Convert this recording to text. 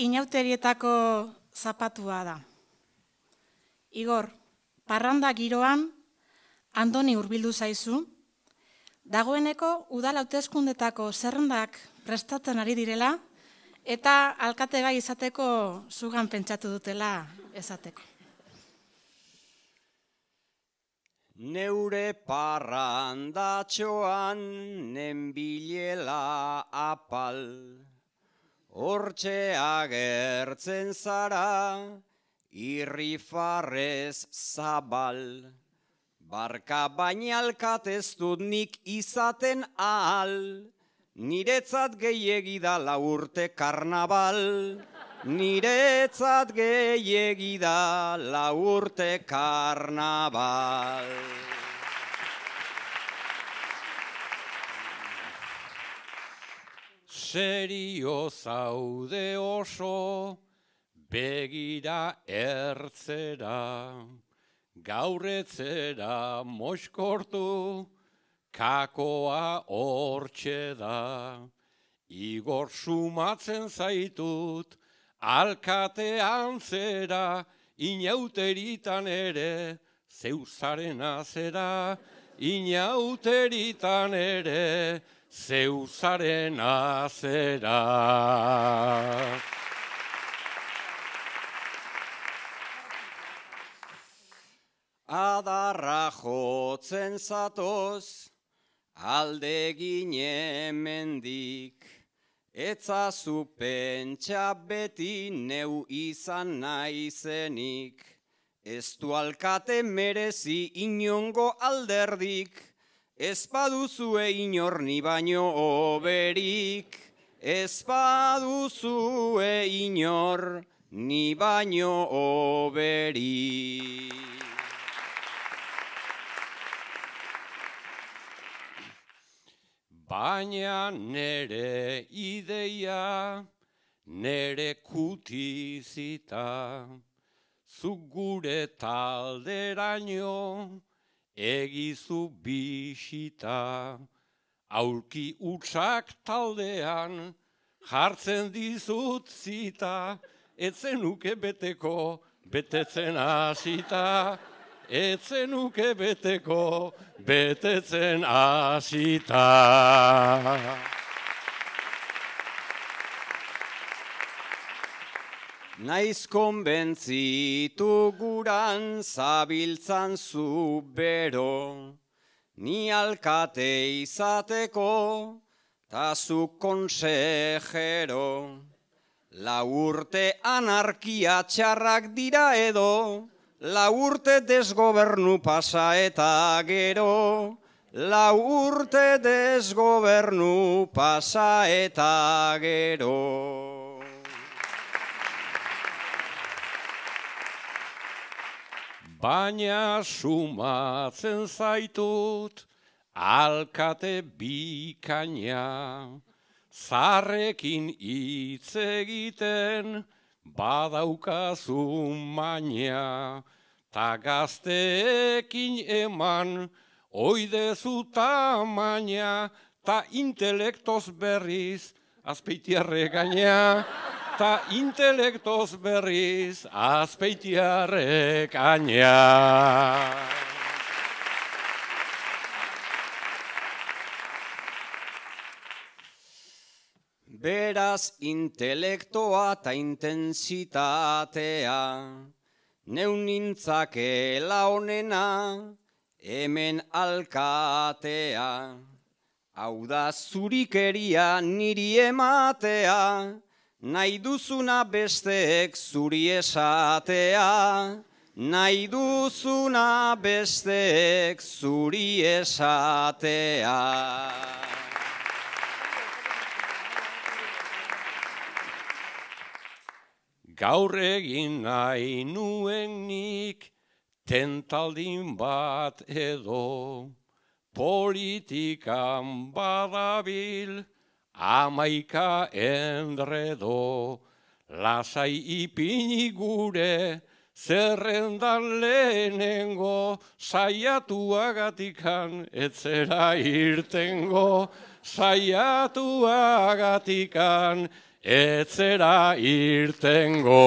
inauterietako zapatua da. Igor, parranda giroan, Andoni hurbildu zaizu, dagoeneko udal hauteskundetako zerrendak prestatzen ari direla, eta alkate gai izateko zugan pentsatu dutela esateko. Neure parrandatxoan nenbilela apal, hortxe agertzen zara, irrifarrez zabal. Barka baina alkatez dut nik izaten ahal, niretzat gehiegi da 4 urte karnabal. Niretzat gehiegi da 4 urte karnabal. Serio zaude oso, begira ertzera, gaurretzera moixkortu, kakoa hortxe da. Igor sumatzen zaitut, alkatean zera, inauteritan ere, zeuzaren azera, inauteritan ere, zeuzaren azera. Adarra jotzen zatoz, alde gine mendik, etzazu pentsa beti neu izan naizenik. Ez du alkate merezi inongo alderdik, ez baduzue inor ni baino oberik. Ez baduzue inor ni baino oberik. Baina nere ideia, nere kutizita, zuk gure talderaino, egizu bisita. Aulki utsak taldean, jartzen dizut zita, etzenuke beteko, betetzen hasita. Etzenuke beteko, betetzen hasita. Naiz konbentzitu guran zabiltzan zu bero, ni alkate izateko, ta zu konsejero. 4 urte anarkia txarrak dira edo, 4 urte desgobernu pasa eta gero, 4 urte desgobernu pasa eta gero. Baina sumatzen zaitut, alkate bikaina, zarrekin hitz egiten, badaukazu maina, ta gazteekin eman, oidezu tamaina, ta intelektoz berriz, Azpeitiarre gaina, ta intelektoz berriz, Azpeitiarre gaina. Beraz intelektoa ta intensitatea, neu nintzakela onena, hemen alkatea. Hau da zurikeria niri ematea, nahi duzuna besteek zuri esatea. Nahi duzuna besteek zuri esatea. Gaur egin nahi nuen nik, tentaldin bat edo, politikan badabil, 11 enredo, lasai ipini gure, zerrendan lehenengo, saiatuagatikan etzera irtengo, saiatuagatikan etzera irtengo.